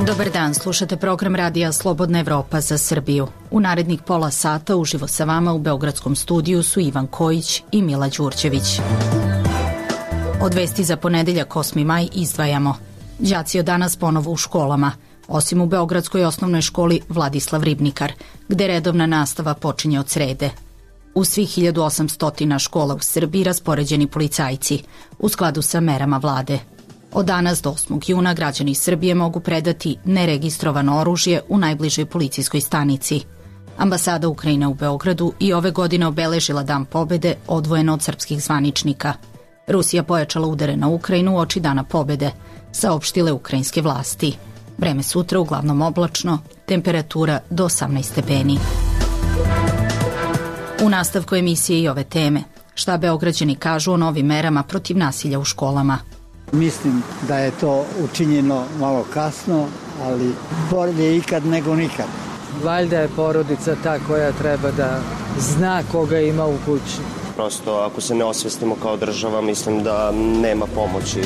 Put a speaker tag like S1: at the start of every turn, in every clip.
S1: Dobar dan, slušate program Radija Slobodna Evropa za Srbiju. U narednih pola sata uživo sa vama u Beogradskom studiju su Ivan Kojić i Mila Đurđević. Od vesti za ponedeljak 8. maj izdvajamo. Đaci od danas ponovo u školama, osim u Beogradskoj osnovnoj školi Vladislav Ribnikar, gde redovna nastava počinje od srede. U svih 1800 škola u Srbiji raspoređeni policajci, u skladu sa merama vlade. Od danas do 8. juna građani Srbije mogu predati neregistrovano oružje u najbližoj policijskoj stanici. Ambasada Ukrajine u Beogradu i ove godine obeležila Dan pobede odvojeno od srpskih zvaničnika. Rusija pojačala udare na Ukrajinu uoči Dana pobede, saopštile ukrajinske vlasti. Vreme sutra uglavnom oblačno, temperatura do 18 stepeni. U nastavku emisije i ove teme. Šta Beograđani kažu o novim merama protiv nasilja u školama?
S2: Mislim da je to učinjeno malo kasno, ali bolje ikad nego nikad.
S3: Valjda je porodica ta koja treba da zna koga ima u kući.
S4: Prosto ako se ne osvestimo kao država, mislim da nema pomoći.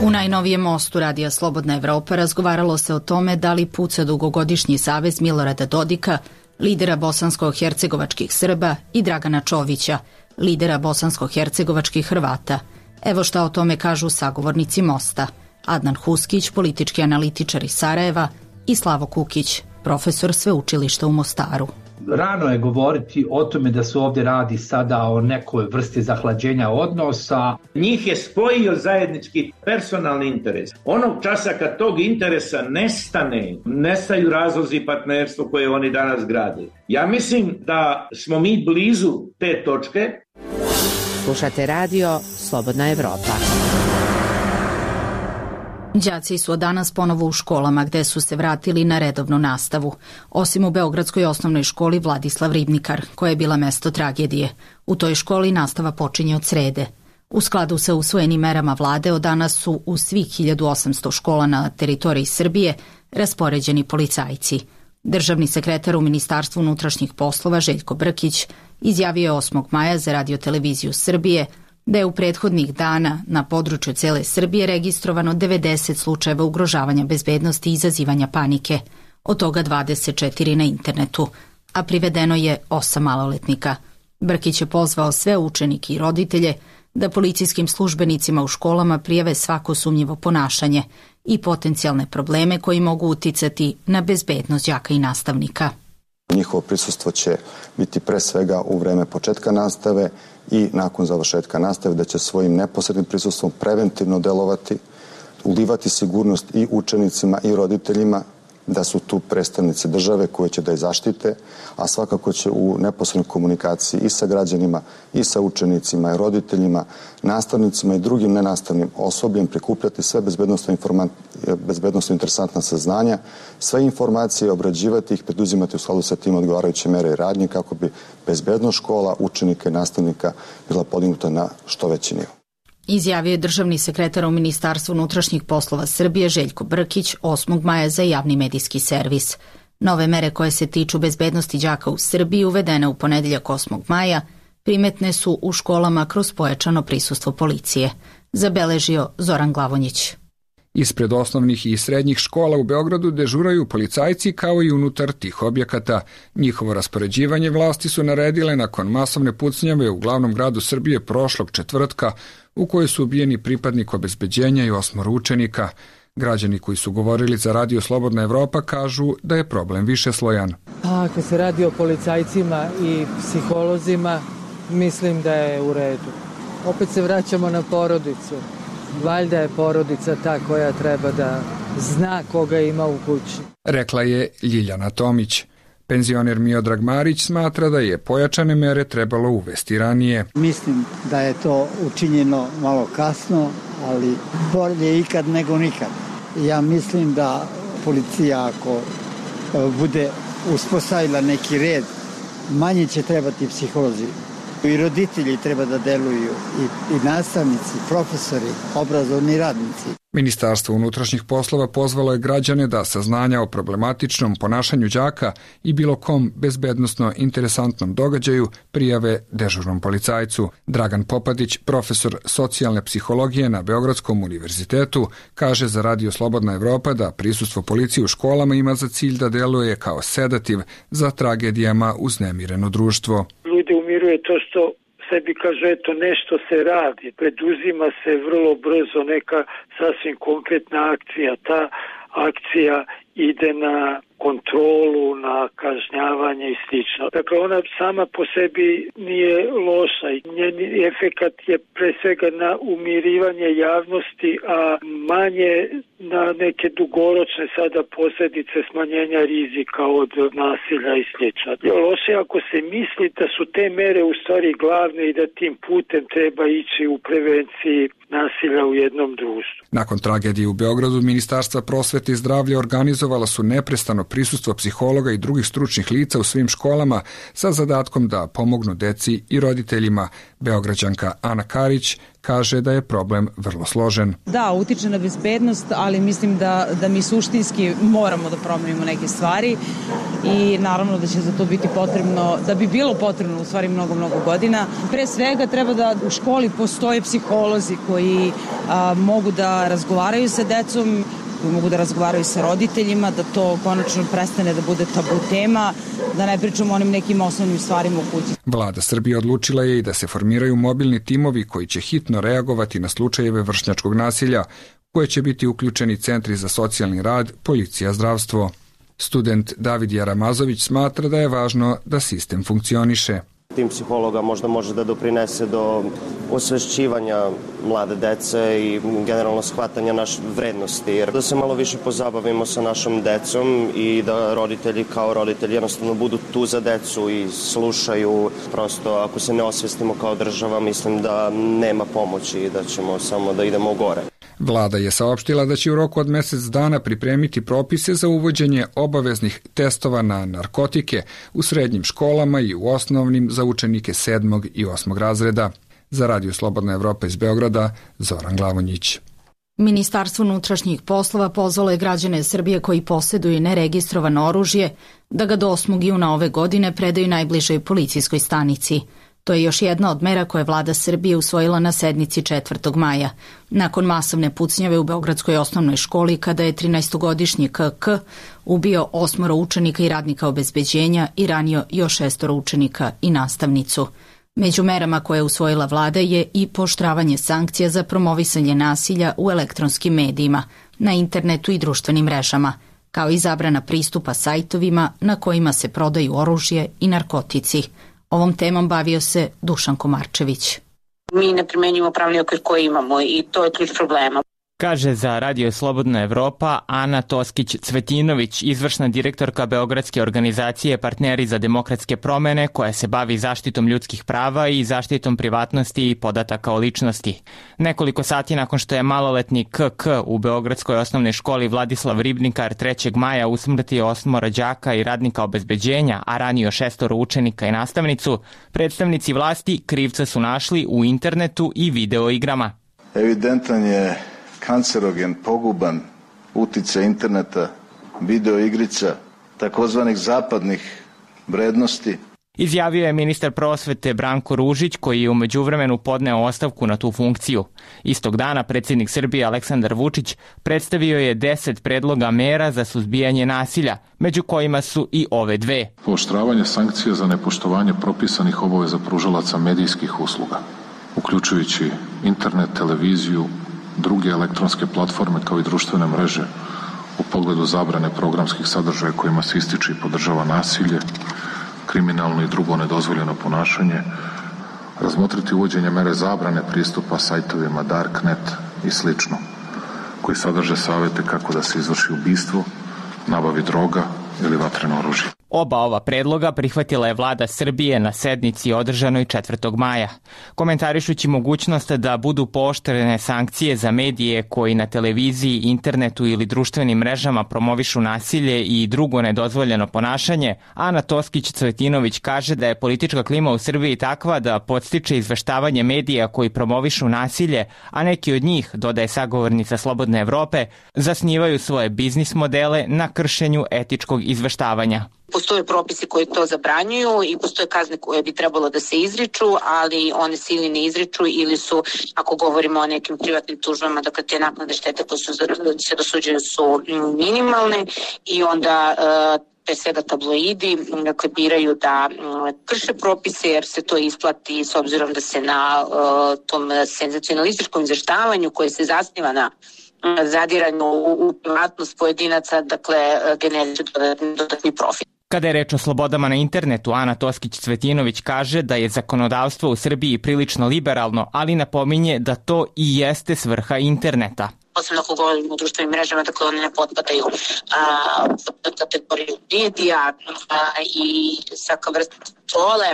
S1: U najnovijem mostu Radija Slobodna Evropa razgovaralo se o tome da li puca dugogodišnji savez Milorada Dodika, lidera bosansko-hercegovačkih Srba, i Dragana Čovića, lidera bosansko-hercegovačkih Hrvata. Evo šta o tome kažu sagovornici mosta. Adnan Huskić, politički analitičar iz Sarajeva, i Slavo Kukić, profesor sveučilišta u Mostaru.
S5: Rano je govoriti o tome da se ovdje radi sada o nekoj vrsti zahlađenja odnosa.
S6: Njih je spojio zajednički personalni interes. Onog časa kad tog interesa nestane, nestaju razlozi partnerstva koje oni danas grade. Ja mislim da smo mi blizu te točke.
S7: Slušate radio Slobodna Evropa.
S1: Đaci su od danas ponovo u školama gde su se vratili na redovnu nastavu, osim u Beogradskoj osnovnoj školi Vladislav Ribnikar, koja je bila mesto tragedije. U toj školi nastava počinje od srede. U skladu sa usvojenim merama vlade od danas su u svih 1800 škola na teritoriji Srbije raspoređeni policajci. Državni sekretar u Ministarstvu unutrašnjih poslova Željko Brkić izjavio je 8. maja za Radio-televiziju Srbije da je u prethodnih dana na području cele Srbije registrovano 90 slučajeva ugrožavanja bezbednosti i izazivanja panike, od toga 24 na internetu, a privedeno je 8 maloletnika. Brkić je pozvao sve učenike i roditelje da policijskim službenicima u školama prijave svako sumnjivo ponašanje i potencijalne probleme koji mogu uticati na bezbednost đaka i nastavnika.
S8: Njihovo prisustvo će biti pre svega u vreme početka nastave i nakon završetka nastave, da će svojim neposrednim prisustvom preventivno delovati, ulivati sigurnost i učenicima i roditeljima, da su tu predstavnici države koje će da je zaštite, a svakako će u neposrednoj komunikaciji i sa građanima, i sa učenicima i roditeljima, nastavnicima i drugim nenastavnim osobljem prikupljati sve bezbednosno interesantna saznanja, sve informacije, obrađivati ih, preduzimati u skladu sa tim odgovarajuće mere i radnje kako bi bezbednost škola, učenika i nastavnika bila podignuta na što veći nivo.
S1: Izjavio je državni sekretar u Ministarstvu unutrašnjih poslova Srbije Željko Brkić 8. maja za javni medijski servis. Nove mere koje se tiču bezbednosti đaka u Srbiji uvedene u ponedeljak 8. maja primetne su u školama kroz pojačano prisustvo policije, zabeležio Zoran Glavonjić.
S9: Ispred osnovnih i srednjih škola u Beogradu dežuraju policajci kao i unutar tih objekata. Njihovo raspoređivanje vlasti su naredile nakon masovne pucnjave u glavnom gradu Srbije prošlog četvrtka, u kojoj su ubijeni pripadnik obezbeđenja i 8 učenika. Građani koji su govorili za Radio Slobodna Evropa kažu da je problem višeslojan.
S3: Ako se radi o policajcima i psiholozima, mislim da je u redu. Opet se vraćamo na porodicu. Valjda je porodica ta koja treba da zna koga ima u kući.
S9: Rekla je Ljiljana Tomić. Penzioner Miodrag Marić smatra da je pojačane mere trebalo uvesti ranije.
S2: Mislim da je to učinjeno malo kasno, ali bolje ikad nego nikad. Ja mislim da policija ako bude uspostavila neki red, manje će trebati psiholozi. I roditelji treba da deluju, i nastavnici, profesori, obrazovni radnici.
S9: Ministarstvo unutrašnjih poslova pozvalo je građane da saznanja o problematičnom ponašanju đaka i bilo kom bezbednosno interesantnom događaju prijave dežurnom policajcu. Dragan Popadić, profesor socijalne psihologije na Beogradskom univerzitetu, kaže za Radio Slobodna Evropa da prisustvo policije u školama ima za cilj da deluje kao sedativ za tragedijama uznemireno društvo.
S10: Ljude umiruje to što sebi kaže, eto, nešto se radi, preduzima se vrlo brzo neka sasvim konkretna akcija. Ta akcija ide na kontrolu, na kažnjavanje i slično. Dakle, ona sama po sebi nije loša i njen efekat je pre svega na umirivanje javnosti, a manje na neke dugoročne sada posljedice smanjenja rizika od nasilja i slično. Loše ako se misli da su te mere u stvari glavne i da tim putem treba ići u prevenciji nasilja u jednom društvu.
S9: Nakon tragedije u Beogradu, Ministarstva prosvete i zdravlja organizovala su neprestano prisustvo psihologa i drugih stručnih lica u svim školama sa zadatkom da pomognu deci i roditeljima. Beograđanka Ana Karić kaže da je problem vrlo složen.
S11: Da, utiče na bezbednost, ali mislim da mi suštinski moramo da promenimo neke stvari i naravno da će za to biti potrebno, da bi bilo potrebno u stvari mnogo godina. Pre svega treba da u školi postoje psiholozi koji mogu da razgovaraju sa decom, koji mogu da razgovaraju sa roditeljima, da to konačno prestane da bude tabu tema, da ne pričamo o onim nekim osnovnim stvarima u kući.
S9: Vlada Srbije odlučila je i da se formiraju mobilni timovi koji će hitno reagovati na slučajeve vršnjačkog nasilja, koje će biti uključeni centri za socijalni rad, policija, zdravstvo. Student David Jaramazović smatra da je važno da sistem funkcioniše.
S4: Tim psihologa možda može da doprinese do osvešćivanja mlade dece i generalno shvatanja naše vrednosti, jer da se malo više pozabavimo sa našom decom i da roditelji kao roditelji jednostavno budu tu za decu i slušaju. Prosto ako se ne osvestimo kao država, mislim da nema pomoći i da ćemo samo da idemo u gore.
S9: Vlada je saopštila da će u roku od mesec dana pripremiti propise za uvođenje obaveznih testova na narkotike u srednjim školama i u osnovnim za učenike 7. i 8. razreda. Za Radio Slobodna Evropa iz Beograda, Zoran Glavonjić.
S1: Ministarstvo unutrašnjih poslova pozvalo je građane Srbije koji posjeduju neregistrovano oružje da ga do 8. juna ove godine predaju najbližoj policijskoj stanici. To je još jedna od mera koje vlada Srbije usvojila na sednici 4. maja. Nakon masovne pucnjave u Beogradskoj osnovnoj školi, kada je 13-godišnji KK ubio 8 učenika i radnika obezbeđenja i ranio još 6 učenika i nastavnicu. Među merama koje je usvojila vlada je i pooštravanje sankcija za promovisanje nasilja u elektronskim medijima, na internetu i društvenim mrežama, kao i zabrana pristupa sajtovima na kojima se prodaju oružje i narkotici. Ovom temom bavio se Dušan Komarčević.
S12: Mi ne primenjujemo pravni okvir koji imamo i to je ključ problema.
S13: Kaže za Radio Slobodna Evropa Ana Toskić-Cvetinović, izvršna direktorka Beogradske organizacije Partneri za demokratske promene, koja se bavi zaštitom ljudskih prava i zaštitom privatnosti i podataka o ličnosti. Nekoliko sati nakon što je maloletni KK u Beogradskoj osnovnoj školi Vladislav Ribnikar 3. maja usmrtio 8 đaka i radnika obezbeđenja, a ranio 6 učenika i nastavnicu, predstavnici vlasti krivca su našli u internetu i video igrama.
S14: Evidentan je kancerogen, poguban uticaj interneta, video igrica, takozvanih zapadnih vrednosti.
S13: Izjavio je ministar prosvete Branko Ružić, koji je u međuvremenu podneo ostavku na tu funkciju. Istog dana predsjednik Srbije Aleksandar Vučić predstavio je 10 predloga mera za suzbijanje nasilja, među kojima su i ove dve.
S15: Pooštravanje sankcija za nepoštovanje propisanih obaveza pružalaca medijskih usluga, uključujući internet, televiziju, druge elektronske platforme kao i društvene mreže u pogledu zabrane programskih sadržaja kojima se ističe i podržava nasilje, kriminalno i drugo nedozvoljeno ponašanje, razmotriti uvođenje mere zabrane pristupa sajtovima Darknet i slično, koji sadrže savete kako da se izvrši ubistvo, nabavi droga ili vatreno oružje.
S13: Oba ova predloga prihvatila je vlada Srbije na sednici održanoj 4. maja. Komentarišući mogućnost da budu pooštrene sankcije za medije koji na televiziji, internetu ili društvenim mrežama promovišu nasilje i drugo nedozvoljeno ponašanje, Ana Toskić-Cvetinović kaže da je politička klima u Srbiji takva da podstiče izveštavanje medija koji promovišu nasilje, a neki od njih, dodaje sagovornica Slobodne Evrope, zasnivaju svoje biznis modele na kršenju etičkog izveštavanja.
S12: Postoje propisi koji to zabranjuju i postoje kazne koje bi trebalo da se izriču, ali one se ili ne izriču ili su, ako govorimo o nekim privatnim tužbama, dakle te naknade štete koje se dosuđuju su minimalne i onda pre svega tabloidi biraju da krše propise jer se to isplati s obzirom da se na tom senzacionalističkom izveštavanju koje se zasniva na zadiranju u privatnost pojedinaca, dakle generiše dodatni profit.
S13: Kada je reč o slobodama na internetu, Ana Toskić-Cvetinović kaže da je zakonodavstvo u Srbiji prilično liberalno, ali napominje da to i jeste svrha interneta.
S12: Posebno ako govorimo o društvenim mrežama, dakle one ne potpadaju pod kategoriju medija i svaka vrsta kontrole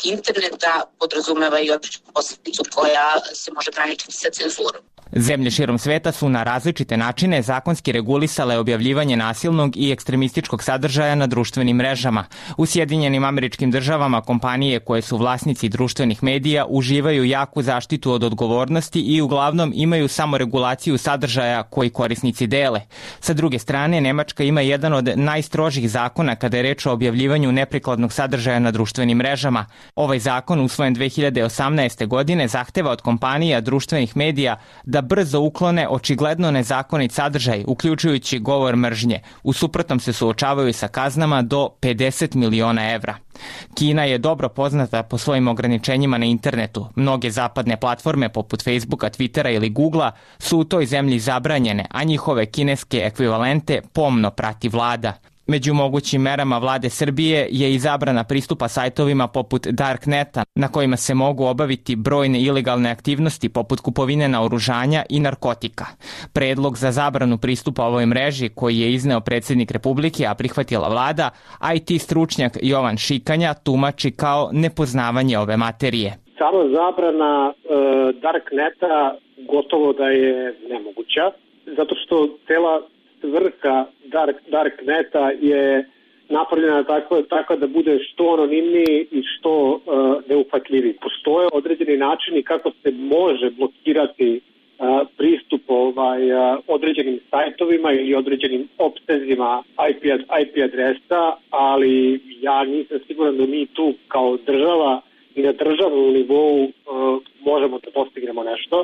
S12: interneta podrazumeva i određenu posljedicu koja se može graničiti sa cenzurom.
S13: Zemlje širom sveta su na različite načine zakonski regulisale objavljivanje nasilnog i ekstremističkog sadržaja na društvenim mrežama. U Sjedinjenim Američkim Državama kompanije koje su vlasnici društvenih medija uživaju jaku zaštitu od odgovornosti i uglavnom imaju samo regulaciju sadržaja koji korisnici dele. Sa druge strane, Nemačka ima jedan od najstrožih zakona kada je reč o objavljivanju neprikladnog sadržaja na društvenim mrežama. Ovaj zakon, usvojen 2018. godine, zahteva od kompanija društvenih medija da brzo uklone očigledno nezakonit sadržaj, uključujući govor mržnje. U suprotnom se suočavaju sa kaznama do 50 miliona evra. Kina je dobro poznata po svojim ograničenjima na internetu. Mnoge zapadne platforme poput Facebooka, Twittera ili Googlea su u toj zemlji zabranjene, a njihove kineske ekvivalente pomno prati vlada. Među mogućim merama vlade Srbije je i zabrana pristupa sajtovima poput Darkneta, na kojima se mogu obaviti brojne ilegalne aktivnosti poput kupovine naoružanja i narkotika. Predlog za zabranu pristupa ovoj mreži, koji je izneo predsjednik Republike, a prihvatila vlada, IT stručnjak Jovan Šikanja tumači kao nepoznavanje ove materije.
S16: Sama zabrana Darkneta gotovo da je nemoguća, zato što cela svrha Darkneta je napravljena tako da bude što anonimniji i što neuhvatljiviji. Postoje određeni načini kako se može blokirati pristup određenim sajtovima ili određenim opstezima IP adresa, ali ja nisam siguran da mi tu kao država i na državnom nivou možemo da postignemo nešto.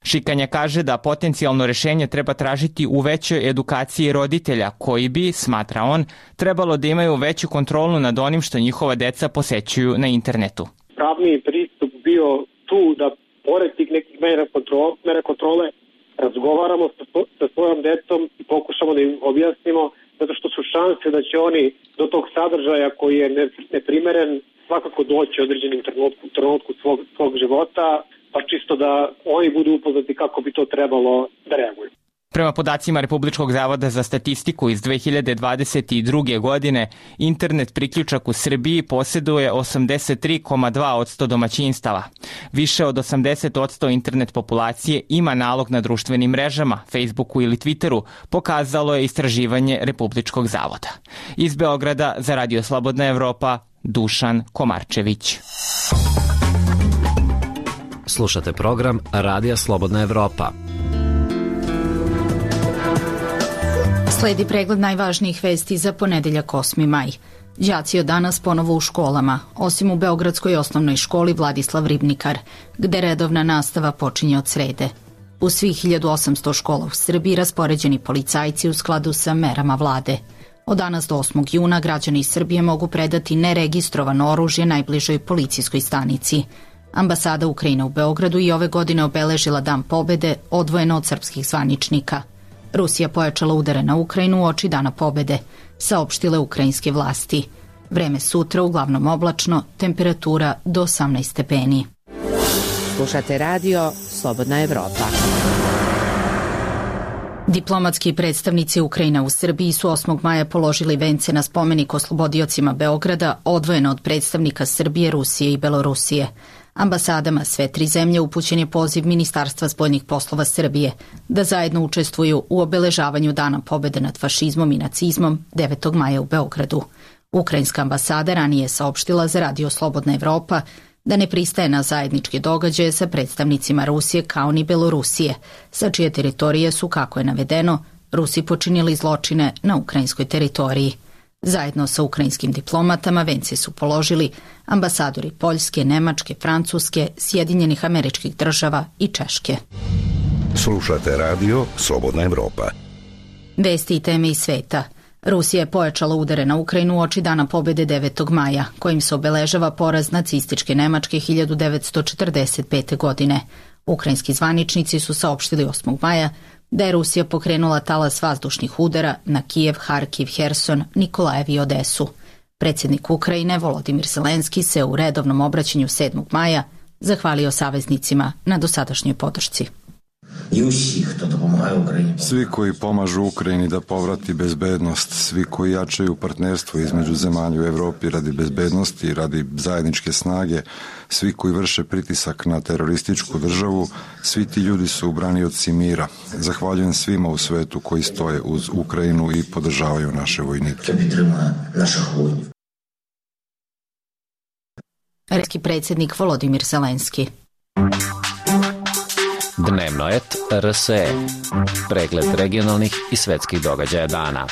S13: Šikanja kaže da potencijalno rešenje treba tražiti u većoj edukaciji roditelja koji bi, smatra on, trebalo da imaju veću kontrolu nad onim što njihova deca posećuju na internetu.
S16: Pravni pristup bio tu da pored tih nekih mera kontrole razgovaramo sa svojom decom i pokušamo da im objasnimo, zato što su šanse da će oni do tog sadržaja koji je neprimeren svakako doći u određenim trenutku svog života, pa čisto da oni budu upoznati kako bi to trebalo da reaguju.
S13: Prema podacima Republičkog zavoda za statistiku iz 2022. godine, internet priključak u Srbiji posjeduje 83,2% domaćinstava. Više od 80% internet populacije ima nalog na društvenim mrežama, Facebooku ili Twitteru, pokazalo je istraživanje Republičkog zavoda. Iz Beograda za Radio Slobodna Evropa, Dušan Komarčević.
S17: Slušate program Radija Slobodna Evropa.
S1: Sledi pregled najvažnijih vesti za ponedeljak 8. maj. Đaci od danas ponovo u školama, osim u Beogradskoj osnovnoj školi Vladislav Ribnikar, gde redovna nastava počinje od srede. U svih 1800 škola u Srbiji raspoređeni policajci u skladu sa merama vlade. Od danas do 8. juna građani iz Srbije mogu predati neregistrovano oružje najbližoj policijskoj stanici. Ambasada Ukrajine u Beogradu i ove godine obeležila Dan pobede odvojeno od srpskih zvaničnika. Rusija pojačala udare na Ukrajinu uoči Dana pobede, saopštile ukrajinske vlasti. Vreme sutra uglavnom oblačno, temperatura do 18 stepeni.
S7: Slušate radio Slobodna Evropa.
S1: Diplomatski predstavnici Ukrajine u Srbiji su 8. maja položili vence na spomenik oslobodiocima Beograda, odvojeno od predstavnika Srbije, Rusije i Belorusije. Ambasadama sve tri zemlje upućen je poziv Ministarstva spoljnih poslova Srbije da zajedno učestvuju u obeležavanju Dana pobede nad fašizmom i nacizmom 9. maja u Beogradu. Ukrajinska ambasada ranije je saopštila za Radio Slobodna Evropa da ne pristaje na zajedničke događaje sa predstavnicima Rusije kao ni Belorusije, sa čije teritorije su, kako je navedeno, Rusi počinili zločine na ukrajinskoj teritoriji. Zajedno sa ukrajinskim diplomatama vence su položili ambasadori Poljske, Nemačke, Francuske, Sjedinjenih Američkih Država i Češke.
S18: Slušate radio Slobodna Evropa.
S1: Vesti i teme iz sveta. Rusija je pojačala udare na Ukrajinu uoči Dana pobede 9. maja, kojim se obeležava poraz nacističke Nemačke 1945. godine. Ukrajinski zvaničnici su saopštili 8. maja da je Rusija pokrenula talas vazdušnih udara na Kijev, Harkiv, Herson, Nikolajev i Odesu. Predsjednik Ukrajine Volodimir Zelenski se u redovnom obraćanju 7. maja zahvalio saveznicima na dosadašnjoj podršci.
S19: Svi koji pomažu Ukrajini da povrati bezbednost, svi koji jačaju partnerstvo između zemalja u Evropi radi bezbednosti i radi zajedničke snage, svi koji vrše pritisak na terorističku državu, svi ti ljudi su branioci mira. Zahvaljujem svima u svetu koji stoje uz Ukrajinu i podržavaju naše vojnike.
S1: Ruski predsjednik Volodimir Zelenski.
S17: Dnevno et RSE. Pregled regionalnih i svetskih događaja dana.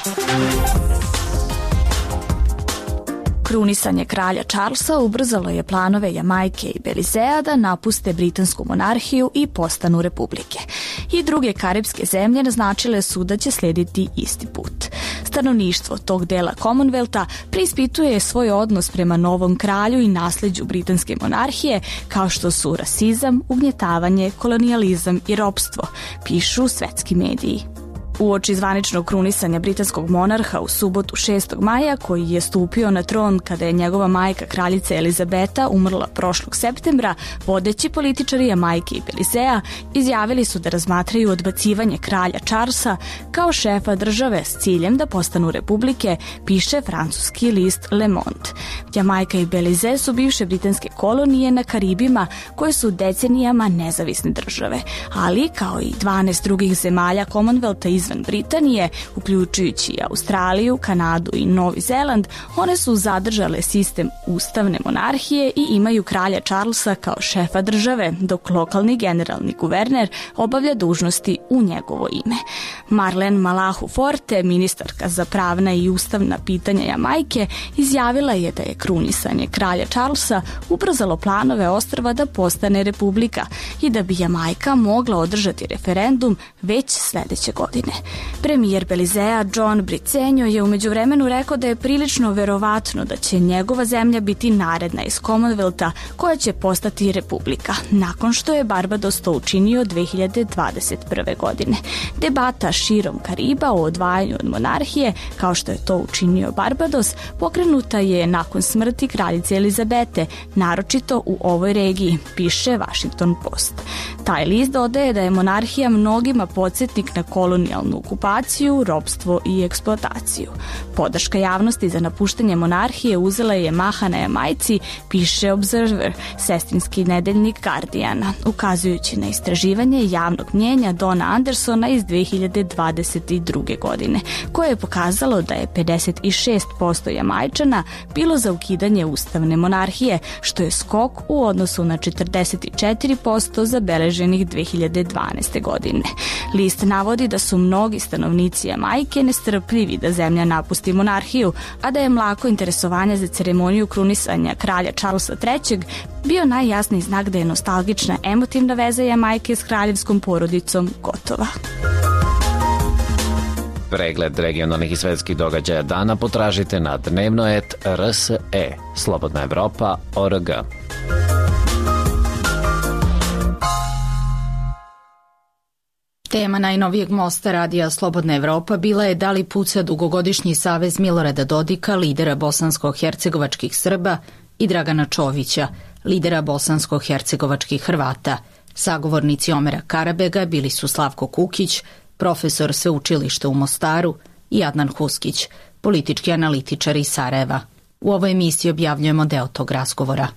S20: Krunisanje kralja Charlesa ubrzalo je planove Jamajke i Belizea da napuste britansku monarhiju i postanu republike. I druge karipske zemlje naznačile su da će slijediti isti put. Stanovništvo tog dela Commonwealtha preispituje svoj odnos prema novom kralju i nasleđu britanske monarhije, kao što su rasizam, ugnjetavanje, kolonijalizam i ropstvo, pišu svetski mediji. Uoči zvaničnog krunisanja britanskog monarha u subotu 6. maja, koji je stupio na tron kada je njegova majka kraljica Elizabeta umrla prošlog septembra, vodeći političari Jamajke i Belizea izjavili su da razmatraju odbacivanje kralja Charlesa kao šefa države s ciljem da postanu republike, piše francuski list Le Monde. Jamajka i Belize su bivše britanske kolonije na Karibima koje su decenijama nezavisne države, ali kao i 12 drugih zemalja Commonwealtha izvan Britanije, uključujući Australiju, Kanadu i Novi Zeland, one su zadržale sistem ustavne monarhije i imaju kralja Charlesa kao šefa države, dok lokalni generalni guverner obavlja dužnosti u njegovo ime. Marlene Malahu Forte, ministarka za pravna i ustavna pitanja Jamajke, izjavila je da je krunisanje kralja Charlesa ubrzalo planove ostrva da postane republika i da bi Jamajka mogla održati referendum već sledeće godine. Premijer Belizea John Briceño je u međuvremenu rekao da je prilično verovatno da će njegova zemlja biti naredna iz Commonwealtha koja će postati republika, nakon što je Barbados to učinio 2021. godine. Debata širom Kariba o odvajanju od monarhije, kao što je to učinio Barbados, pokrenuta je nakon smrti kraljice Elizabete, naročito u ovoj regiji, piše Washington Post. Taj list dodaje da je monarhija mnogima podsjetnik na kolonijalnu okupaciju, ropstvo i eksploataciju. Podrška javnosti za napuštanje monarhije uzela je maha na Jamajci, piše Observer, sestrinski nedeljnik Guardiana, ukazujući na istraživanje javnog mnjenja Dona Andersona iz 2022. godine, koje je pokazalo da je 56% Jamajčana bilo za ukidanje ustavne monarhije, što je skok u odnosu na 44% zabeleženih 2012. godine. List navodi da su mnogi stanovnici Jamajke nestrpljivi da zemlja napusti monarhiju, a da je mlako interesovanje za ceremoniju krunisanja kralja Charlesa III bio najjasniji znak da je nostalgična emotivna veza Jamajke s kraljevskom porodicom gotova.
S17: Pregled regionalnih i svetskih događaja dana potražite na dnevnoet.rse, Slobodna Evropa.org.
S1: Tema najnovijeg mosta radija Slobodna Evropa bila je da li puca dugogodišnji savez Milorada Dodika, lidera bosansko-hercegovačkih Srba, i Dragana Čovića, lidera bosansko-hercegovačkih Hrvata. Sagovornici Omera Karabega bili su Slavko Kukić, profesor sveučilišta u Mostaru, i Adnan Huskić, politički analitičar iz Sarajeva. U ovoj emisiji objavljujemo deo tog razgovora.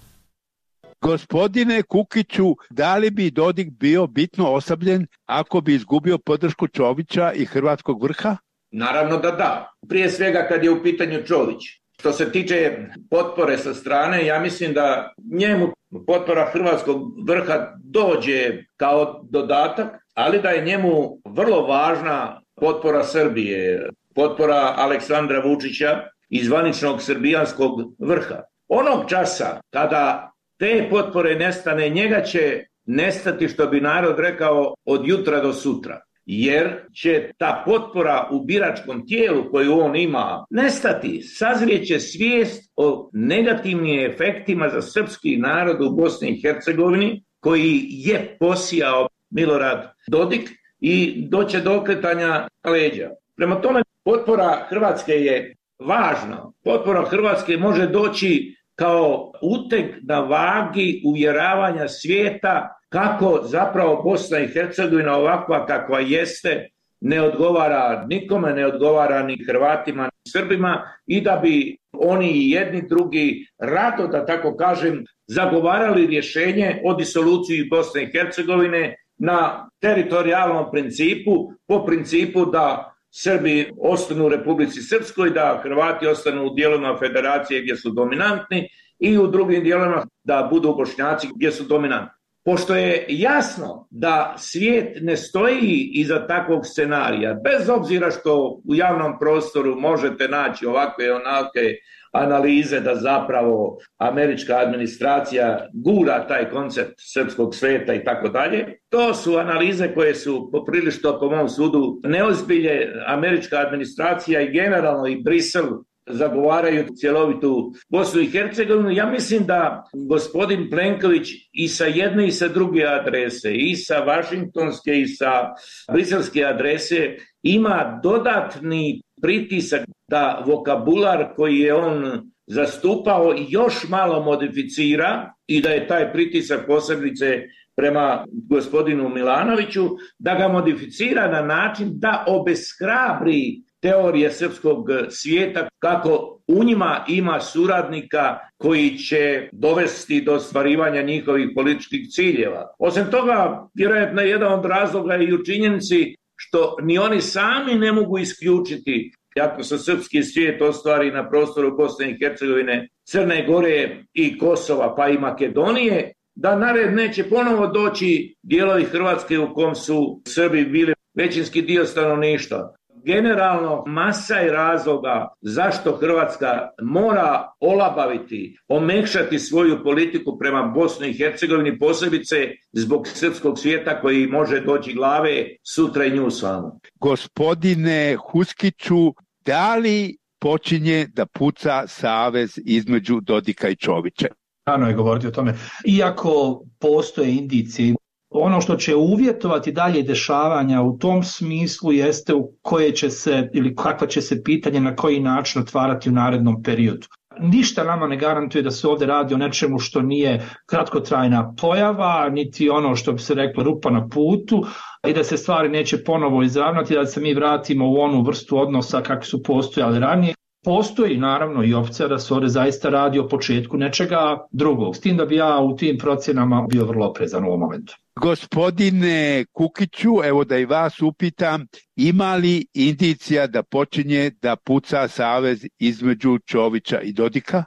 S21: Gospodine Kukiću, da li bi Dodik bio bitno oslabljen ako bi izgubio podršku Čovića i hrvatskog vrha?
S6: Naravno da da. Prije svega kad je u pitanju Čović. Što se tiče potpore sa strane, ja mislim da njemu potpora hrvatskog vrha dođe kao dodatak, ali da je njemu vrlo važna potpora Srbije, potpora Aleksandra Vučića i zvaničnog srbijanskog vrha. Onog časa kada te potpore nestane, njega će nestati, što bi narod rekao, od jutra do sutra. Jer će ta potpora u biračkom tijelu koju on ima nestati. Sazrijeće svijest o negativnim efektima za srpski narod u Bosni i Hercegovini koji je posijao Milorad Dodik i doće do okretanja leđa. Prema tome, potpora Hrvatske je važna. Potpora Hrvatske može doći kao uteg na vagi uvjeravanja svijeta kako zapravo Bosna i Hercegovina ovakva kakva jeste ne odgovara nikome, ne odgovara ni Hrvatima ni Srbima i da bi oni i jedni drugi rado, da tako kažem, zagovarali rješenje o disoluciji Bosne i Hercegovine na teritorijalnom principu, po principu da Srbi ostanu u Republici Srpskoj, da Hrvati ostanu u dijelovima federacije gdje su dominantni i u drugim dijelovima da budu Bošnjaci gdje su dominantni. Pošto je jasno da svijet ne stoji iza takvog scenarija, bez obzira što u javnom prostoru možete naći ovakve i onake analize da zapravo američka administracija gura taj koncept srpskog sveta i tako dalje. To su analize koje su poprilično, po mom sudu, neozbilje. Američka administracija i generalno i Brisel zagovaraju cjelovitu Bosnu i Hercegovinu. Ja mislim da gospodin Plenković i sa jedne i sa druge adrese, i sa vašingtonske i sa briselske adrese, ima dodatni pritisak da vokabular koji je on zastupao još malo modificira i da je taj pritisak posebice prema gospodinu Milanoviću, da ga modificira na način da obeshrabri teorije srpskog svijeta kako u njima ima suradnika koji će dovesti do ostvarivanja njihovih političkih ciljeva. Osim toga, vjerojatno jedan od razloga je i u činjenici što ni oni sami ne mogu isključiti ako se srpski svijet ostvari na prostoru Bosne i Hercegovine, Crne Gore i Kosova pa i Makedonije, da na red neće ponovo doći dijelovi Hrvatske u kom su Srbi bili većinski dio stanovništva. Generalno, masa je razloga zašto Hrvatska mora olabaviti, omekšati svoju politiku prema Bosni i Hercegovini, posebice zbog srpskog svijeta koji može doći glave sutra i nju samu.
S21: Gospodine Huskiću, da li počinje da puca savez između Dodika i Čovića?
S5: Rano je govoriti o tome. Iako postoje indicije, ono što će uvjetovati dalje dešavanja u tom smislu jeste u koje će se ili kakva će se pitanje na koji način otvarati u narednom periodu. Ništa nama ne garantuje da se ovdje radi o nečemu što nije kratkotrajna pojava, niti ono što bi se reklo rupa na putu i da se stvari neće ponovo izravnati, da se mi vratimo u onu vrstu odnosa kakvi su postojali ranije. Postoji naravno i opcija da se ovdje zaista radi o početku nečega drugog, s tim da bi ja u tim procjenama bio vrlo oprezan u ovom momentu.
S21: Gospodine Kukiću, evo da i vas upitam, ima li indicija da počinje da puca savez između Čovića i Dodika?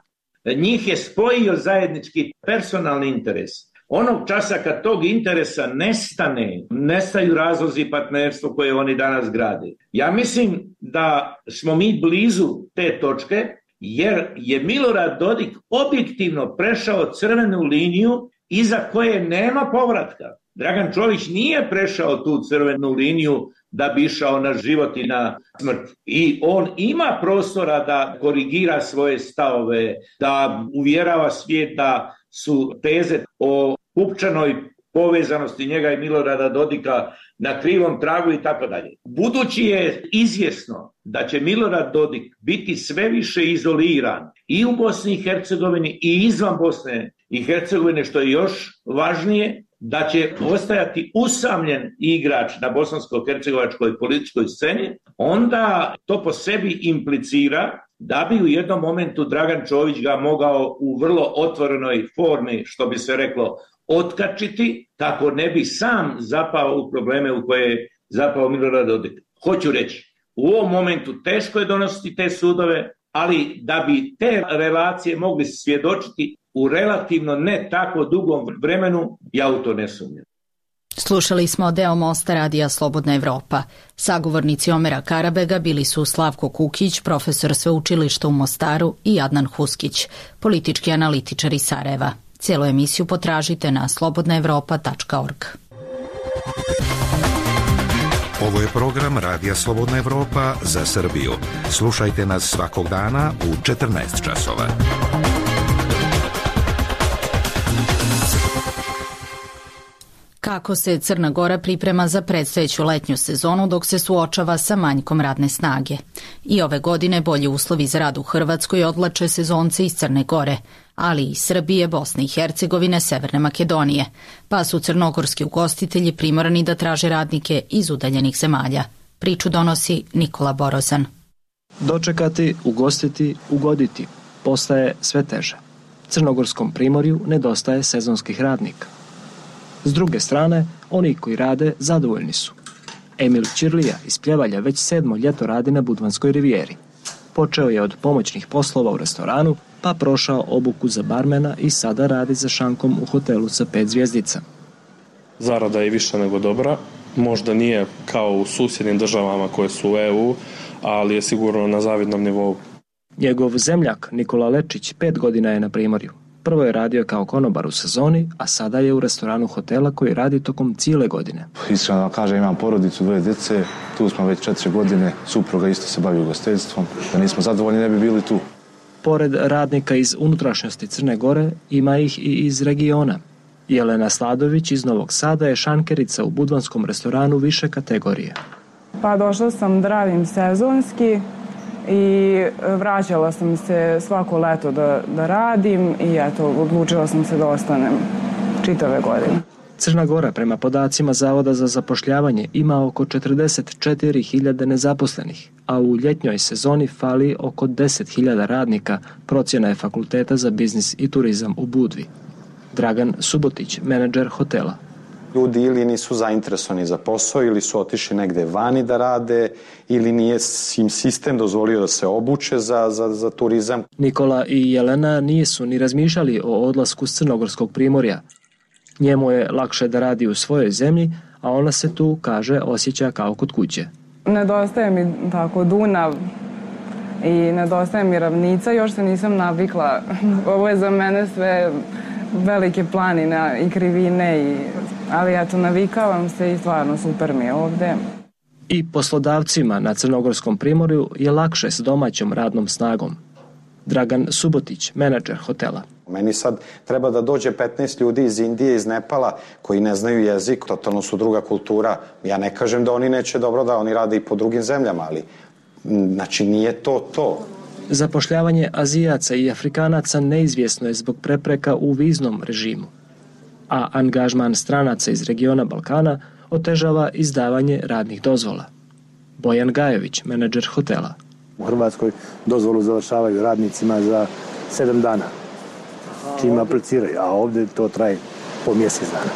S6: Njih je spojio zajednički personalni interes. Onog časa kad tog interesa nestane, nestaju razlozi partnerstva koje oni danas grade. Ja mislim da smo mi blizu te točke jer je Milorad Dodik objektivno prešao crvenu liniju iza koje nema povratka. Dragan Čović nije prešao tu crvenu liniju da bi išao na život i na smrt. I on ima prostora da korigira svoje stavove, da uvjerava svijet da su teze o pupčanoj povezanosti njega i Milorada Dodika na krivom tragu i tako dalje. Budući je izvjesno da će Milorad Dodik biti sve više izoliran i u Bosni i Hercegovini i izvan Bosne i Hercegovine, što je još važnije, da će ostajati usamljen igrač na bosansko-hercegovačkoj političkoj sceni, onda to po sebi implicira da bi u jednom momentu Dragan Čović ga mogao u vrlo otvorenoj formi, što bi se reklo, otkačiti, tako ne bi sam zapao u probleme u koje je zapao Milorad Dodik. Hoću reći, u ovom momentu teško je donositi te sudove, ali da bi te relacije mogli svjedočiti u relativno ne tako dugom vremenu, ja u to ne sumnjam.
S1: Slušali smo deo Mosta radija Slobodna Evropa. Sagovornici Omera Karabega bili su Slavko Kukić, profesor sveučilišta u Mostaru, i Adnan Huskić, politički analitičar iz Sarajeva. Cijelu emisiju potražite na slobodnaevropa.org.
S18: Ovo je program Radija Slobodna Evropa za Srbiju. Slušajte nas svakog dana u 14 časova.
S1: Kako se Crna Gora priprema za predstojeću letnju sezonu dok se suočava sa manjkom radne snage. I ove godine bolji uslovi za rad u Hrvatskoj odvlače sezonce iz Crne Gore, ali i Srbije, Bosne i Hercegovine, Severne Makedonije, pa su crnogorski ugostitelji primorani da traže radnike iz udaljenih zemalja. Priču donosi Nikola Borozan.
S8: Dočekati, ugostiti, ugoditi postaje sve teže. Crnogorskom primorju nedostaje sezonskih radnika. S druge strane, oni koji rade zadovoljni su. Emil Ćirlija iz Pljevalja već 7. ljeto radi na Budvanskoj rivijeri. Počeo je od pomoćnih poslova u restoranu, pa prošao obuku za barmena i sada radi za šankom u hotelu sa 5 zvjezdica.
S22: Zarada je više nego dobra. Možda nije kao u susjednim državama koje su u EU, ali je sigurno na zavidnom nivou.
S8: Njegov zemljak Nikola Lečić 5 godina je na primorju. Prvo je radio kao konobar u sezoni, a sada je u restoranu hotela koji radi tokom cijele godine.
S23: Iskreno da kažem, imam porodicu, 2 djece, tu smo već 4 godine, supruga isto se bavi ugostiteljstvom, da nismo zadovoljni ne bi bili tu.
S8: Pored radnika iz unutrašnjosti Crne Gore, ima ih i iz regiona. Jelena Sladović iz Novog Sada je šankerica u budvanskom restoranu više kategorije.
S24: Pa došla sam da radim sezonski i vraćala sam se svako leto da radim i eto, odlučila sam se da ostanem čitave godine.
S8: Crna Gora prema podacima Zavoda za zapošljavanje ima oko 44.000 nezaposlenih, a u ljetnjoj sezoni fali oko 10.000 radnika, procjena je Fakulteta za biznis i turizam u Budvi. Dragan Subotić, menadžer hotela.
S25: Ljudi ili nisu zainteresovani za posao ili su otišli negde vani da rade ili nije im sistem dozvolio da se obuče za turizam.
S8: Nikola i Jelena nisu ni razmišljali o odlasku s Crnogorskog primorja. Njemu je lakše da radi u svojoj zemlji, a ona se tu, kaže, osjeća kao kod kuće.
S24: Nedostaje mi tako Dunav i nedostaje mi ravnica, još se nisam navikla. Ovo je za mene sve velike planine i krivine, ali eto, navikavam se i stvarno super mi je ovde.
S8: I poslodavcima na Crnogorskom primorju je lakše s domaćom radnom snagom. Dragan Subotić, menadžer hotela.
S25: Meni sad treba da dođe 15 ljudi iz Indije, iz Nepala, koji ne znaju jezik, totalno su druga kultura. Ja ne kažem da oni neće dobro, da oni rade i po drugim zemljama, ali znači nije to.
S8: Zapošljavanje Azijaca i Afrikanaca neizvjesno je zbog prepreka u viznom režimu, a angažman stranaca iz regiona Balkana otežava izdavanje radnih dozvola. Bojan Gajović, menadžer hotela.
S26: U Hrvatskoj dozvolu završavaju radnicima za 7 dana, čim apliciraju, a ovdje to traje po mjesec dana.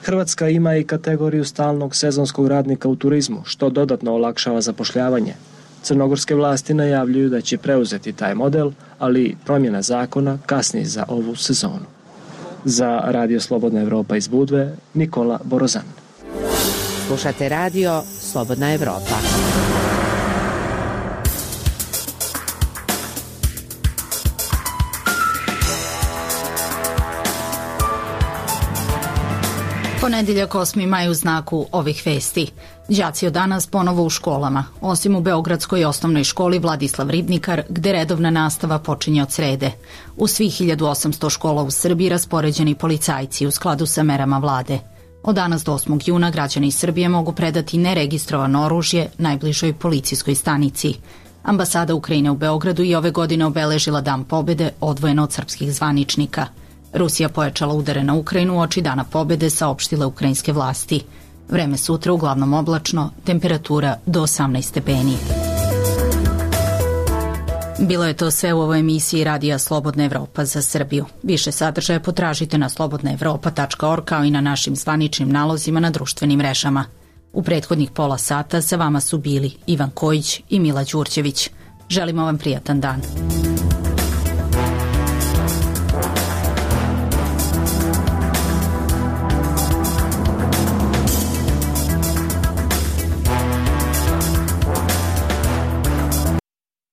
S8: Hrvatska ima i kategoriju stalnog sezonskog radnika u turizmu, što dodatno olakšava zapošljavanje. Crnogorske vlasti najavljuju da će preuzeti taj model, ali promjena zakona kasni za ovu sezonu. Za Radio Slobodna Evropa iz Budve, Nikola Borozan.
S7: Slušate Radio Slobodna Evropa.
S1: Ponedjeljak 8. maj u znaku ovih vesti. Đaci od danas ponovo u školama, osim u Beogradskoj osnovnoj školi Vladislav Ribnikar, gde redovna nastava počinje od srede. U svih 1800 škola u Srbiji raspoređeni policajci u skladu sa merama vlade. Od danas do 8. juna građani Srbije mogu predati neregistrovano oružje najbližoj policijskoj stanici. Ambasada Ukrajine u Beogradu i ove godine obeležila Dan pobjede odvojeno od srpskih zvaničnika. Rusija pojačala udare na Ukrajinu uoči dana pobede, saopštile ukrajinske vlasti. Vreme sutra uglavnom oblačno, temperatura do 18 stepeni. Bilo je to sve u ovoj emisiji Radija Slobodna Evropa za Srbiju. Više sadržaja potražite na slobodnaevropa.org kao i na našim zvaničnim nalozima na društvenim mrežama. U prethodnih pola sata sa vama su bili Ivan Kojić i Mila Đurđević. Želimo vam prijatan dan.